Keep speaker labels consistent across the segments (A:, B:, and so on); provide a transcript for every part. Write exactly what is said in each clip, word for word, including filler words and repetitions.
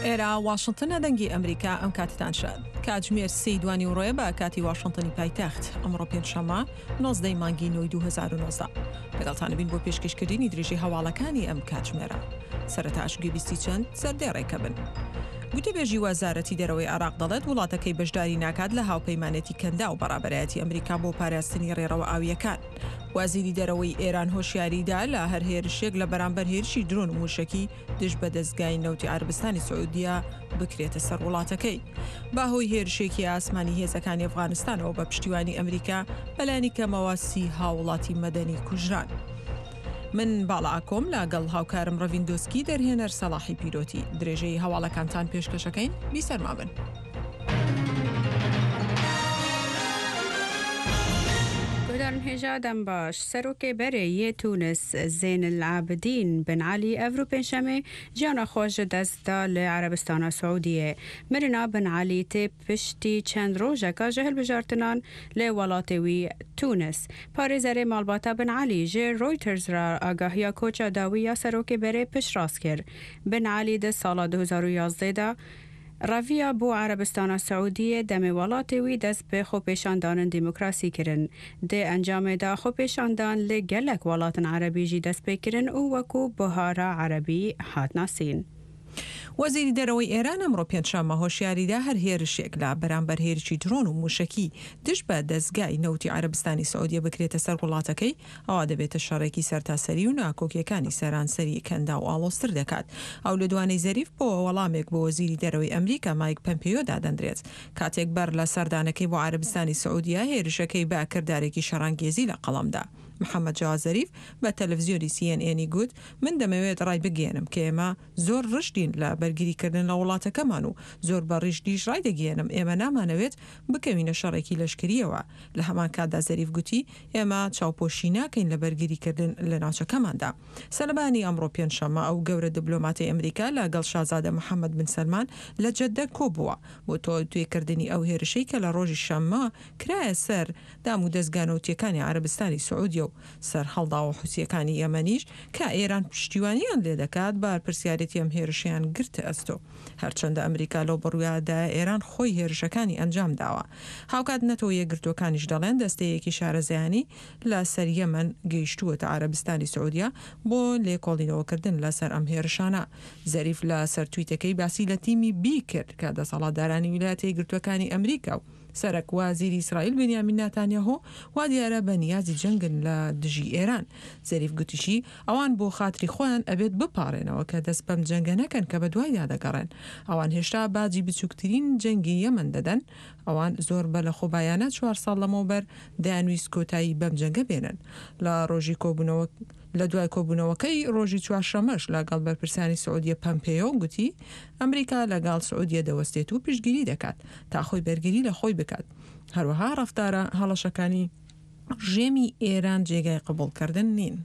A: ئێرە واشنتنە، دەنگی ئەمریکا. ئەم کاتتان شاد. کاتژمێر سێی دوانیوەڕۆیە بە کاتی واشنتنی پایتەخت. ئەمڕۆ پێنجشەممە نۆزدەی مانگی نۆی دوو هەزار و نۆزدە. لەگەڵتان بین بۆ پێشکەشکردنی درێژەی هەواڵەکانی ئەم کاتژمێرە. سەرەتاش گوێبیستی چەند سەردێڕێکە بن. گوتەبێژی وەزارەتی دەرەوەی عێراق دەڵێت وڵاتەکەی بەشداری ناکات لە هاوپەیمانێتی کەنداو بە ڕابەرایەتی ئەمریکا بۆ پاراستنی ڕێڕەوە ئاوییەکان. وەزیری دەرەوەی ئێران هۆشیاری دا لە هەر هێرشێک لە بەرامبەر هێرشی درۆن و مووشەکی دژ بە دەزگای نەوتی عەرەبستانی سعودیە بکرێتە سەر وڵاتەکەی. بەهۆی هێرشێکی ئاسمانی هێزەکانی ئەفغانستانەوە بە پشتیوانی ئەمریکا بەلایەنی کەمەوە سی هاووڵاتی مەدەنی کوژران. من باڵا ئاکۆم لەگەڵ هاوکارم ڕەڤین دۆسکی، دەرهێنەر سەڵاحی پیرۆتی، درێژەی هەواڵەکانتان پێشکەشەکەین. بیسەرما بن.
B: گۆدارن هێژا دەم باش. سەرۆکێ بەرێ یێ تونس زێن العابدین بن عەلی ئەڤرو پێنجشەمێ ژیانا خۆ ژ دەست دا لە عەرەبستانا سعودیێ. مرنا بن عەلی تێ پشتی چەند ڕۆژەکا ژ هەلبژارتنان لە وەڵاتێ وی تونس. پارێزەرێ ماڵباتا بن عەلی ژ ڕۆیتەرز را ئاگاهیا کۆچا داوی یا سەرۆکێ بەرێ پشتڕاست کرد. بن عەلی دە ساڵا دوو هەزار و یازدە دا ڕەڤیا بۆ عەرەبستانا سعودیێ دەمێ وەڵاتێ وی دەست بە خۆپێشاندانن دیموکراسی کرن. دێ ئەنجامێدا خۆپێشاندان لە گەلەک وەڵاتن عەرەبی ژی دەست پێ کرن و وەکوو بەهارا عەرەبی هات ناسین.
A: وەزیری دەرەوەی ئێران ئەمڕۆ پێنجشەممە هۆشیاریدا هەر هێرشێک لە بەرامبەر هێرشی درۆن و مووشەکی دژ بە دەزگای نەوتی عەرەبستانی سعودیە بکرێتە سەر وڵاتەکەی، ئەوا دەبێتە شەڕێکی سەرتاسەری و ناکۆکییەکانی سەرانسەری کەنداو ئاڵۆزتر دەکات. ئەو لێدوانەی زەریف بۆ وەڵامێک بۆ وەزیری دەرەوەی ئەمریکا مایک پەمپێیۆ دادەندرێت کاتێک بەر لە سەردانەکەی بۆ عەرەبستانی سعودیە هێرشەکەی بە کردارێکی شەڕانگێزی لە قەڵەم دا. محەممەد جەواد زەریف بە تەلەفزیۆنی سی ئێن ئێنی گوت، من دەمەوێت ڕایبگەیەنم کە ئێمە زۆر ڕژدین لە بەرگریکردن لە وڵاتەکەمان و زۆر بە ڕیژدیش ڕایدەگەیەنم ئێمە نامانەوێت بکەوینە شەڕێکی لەشکرییەوە. لە هەمان کاتدا زەریف گوتی، ئێمە چاوپۆشی ناکەین لە بەرگریکردن لە ناوچەکەماندا. سەلەبانی ئەمڕۆ پێنجشەممە ئەو گەورە دبلۆماتەی ئەمریکا لە گەڵ شازادە محەممەد بن سەلمان لە جەددە کۆبووە بۆ تاوتوێکردنی ئەو هێرشەی کە لە ڕۆژی شەممە کرایە سەر دامودەزگا نەوتییەکانی عەرەبستانی سعودیە و سەرهەڵداوە حوسییەکانی یەمەنیش کە ئێران پشتیوانیان لێدەکات بەرپرسیارێتی ئەم هێرشەیان گرتە ئەستۆ. هەرچەندە ئەمریکا لەو بڕوایەدایە ئێران خۆی هێرشەکانی ئەنجام داوە. هاوکات نەتەوە یەکگرتووەکانیش دەڵێن دەستەیەکی شارەزایانی لە سەر یەمەن گەیشتووەتە عەرەبستانی سعودیە بۆ لێکۆڵینەوەکردن لەسەر ئەم هێرشانە. زەریف لە سەر تویتەکەی باسی لە تیمی بی کرد کە دەسەڵاتدارانی ویلایەتە یەکگرتووەکانی ئەمریکا و سەرەک وازیری ئیسرائیل بنیامین ناتانیاهۆ وا دیارە بە نیازی جەنگن لە دژی ئێران. زەریف گوتیشی ئەوان بۆ خاتری خۆیان ئەبێت بپاڕێنەوە کە دەست بەم جەنگە نەکەن کە بەدوایدا دەگەڕێن. ئەوان هێشتا باجی بچووکترین جەنگی یەمەن دەدەن. ئەوان زۆر بە لەخۆبایانە چوار ساڵ لەمەوبەر دەیانویست کۆتایی بەم جەنگە بێنن. لە ڕۆژی کۆبوونەوە لە دوای کۆبوونەوەکەی ڕۆژی چوارشەممەش لەگەڵ بەرپرسانی سعودیە پەمپێیۆ گوتی ئەمریکا لەگەڵ سعودیە دەوەستێت و پشتگیری دەکات تا خۆی بەرگری لە خۆی بکات. هەروەها ڕەفتارە هەڵەشەکانی ڕژێمی ئێران جێگای قبوڵکردن نین.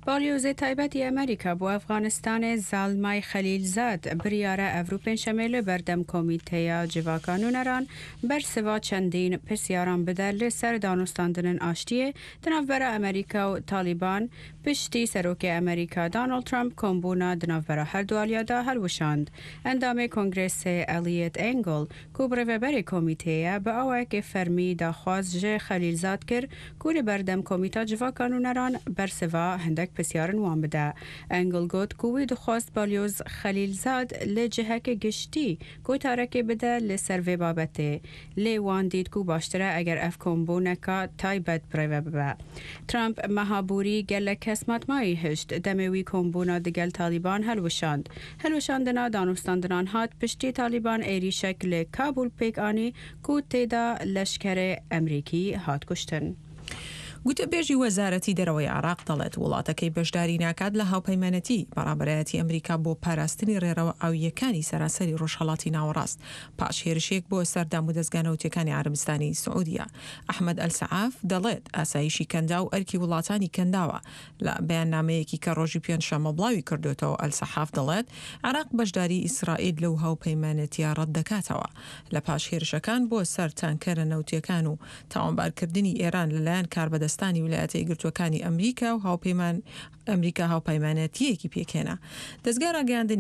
B: باڵیۆزێ تایبەتی ئەمریکا بۆ ئەفغانستانێ زالمای خەلیلزاد بریارە ئەڤرو پێنجشەمێ لە بەردەم کۆمیتەیا جڤاکا نوونەران بەرسڤا چەندین پرسیاران بدە لە سەر دانوستاندنن ئاشتیێ دناڤبەرا ئەمریکا و تالیبان پشتی سەرۆکێ ئەمریکا دانۆڵد ترەمپ کۆمبوونا دناڤبەرا هەردوو ئالیادا هەلوشاند. ئەندامێ کۆنگرێسێ ئەلیەت ئێنگڵ کو بڕێڤەبەرێ کۆمیتەیە بە ئاوایەکێ فەرمی داخواز ژ خەلیلزاد کرد کو لە بەردەم کۆمیتا جڤاکا نوونەران بەرسڤا هندەک پرسیارن وان بدە. ئەنگڵ گوت کو وی دخواست بالیۆز خەلیلزاد لە جهەکێ گشتی گوتارەکێ بدە لە سەر ڤێ بابەتێ لێ وان دیت کو باشترە ئەگەر ئەف کۆمبوونەکا تایبەت بڕێڤە ببە. ترەمپ مەها بووری گەلەک کەس ماتمایی هشت دەمێ وی کۆمبوونا دگەل تالیبان هەلوشاند. هەلوشاندنا دانوستاندنان هات پشتی تالیبان ئێریشەک لە کابول پێک ئانی کو تێدا لەشکەرێ ئەمریکی هات کوشتن.
A: گوتەبێژی وەزارەتی دەرەوەی عێراق دەڵێت، وڵاتەکەی بەشداری ناکات لە هاوپەیمانێتی بە ڕابەرایەتی ئەمریکا بۆ پاراستنی ڕێڕەوە ئاوییەکانی سەرانسەری ڕۆژهەڵاتی ناوەڕاست پاش هێرشێک بۆ سەر دامودەزگا نەوتییەکانی عەرەبستانی سعودیە. ئەحمەد ئەلسەعاف دەڵێت، ئاسایشی کەنداو ئەرکی وڵاتانی کەنداوە. لە بەیاننامەیەکی کە ڕۆژی پێنجشەممە بڵاوی کردۆتەوە ئەلسەحاف دەڵێت، عێراق بەشداری ئیسرائیل لەو هاوپەیمانێتییە ڕەتدەکاتەوە. لە پاش هێرشەکان بۆ سەر تانکەرە نەوتییەکان و تاوانبارکردنی ئێران لەلایەن کاربەدەستانی ویلایەتە یەکگرتووەکانی ئەمریکا و هاوپەیمان ئەمریکا هاوپەیمانێتییەکی پێکهێنا. دەزگای ڕاگەیاندنی.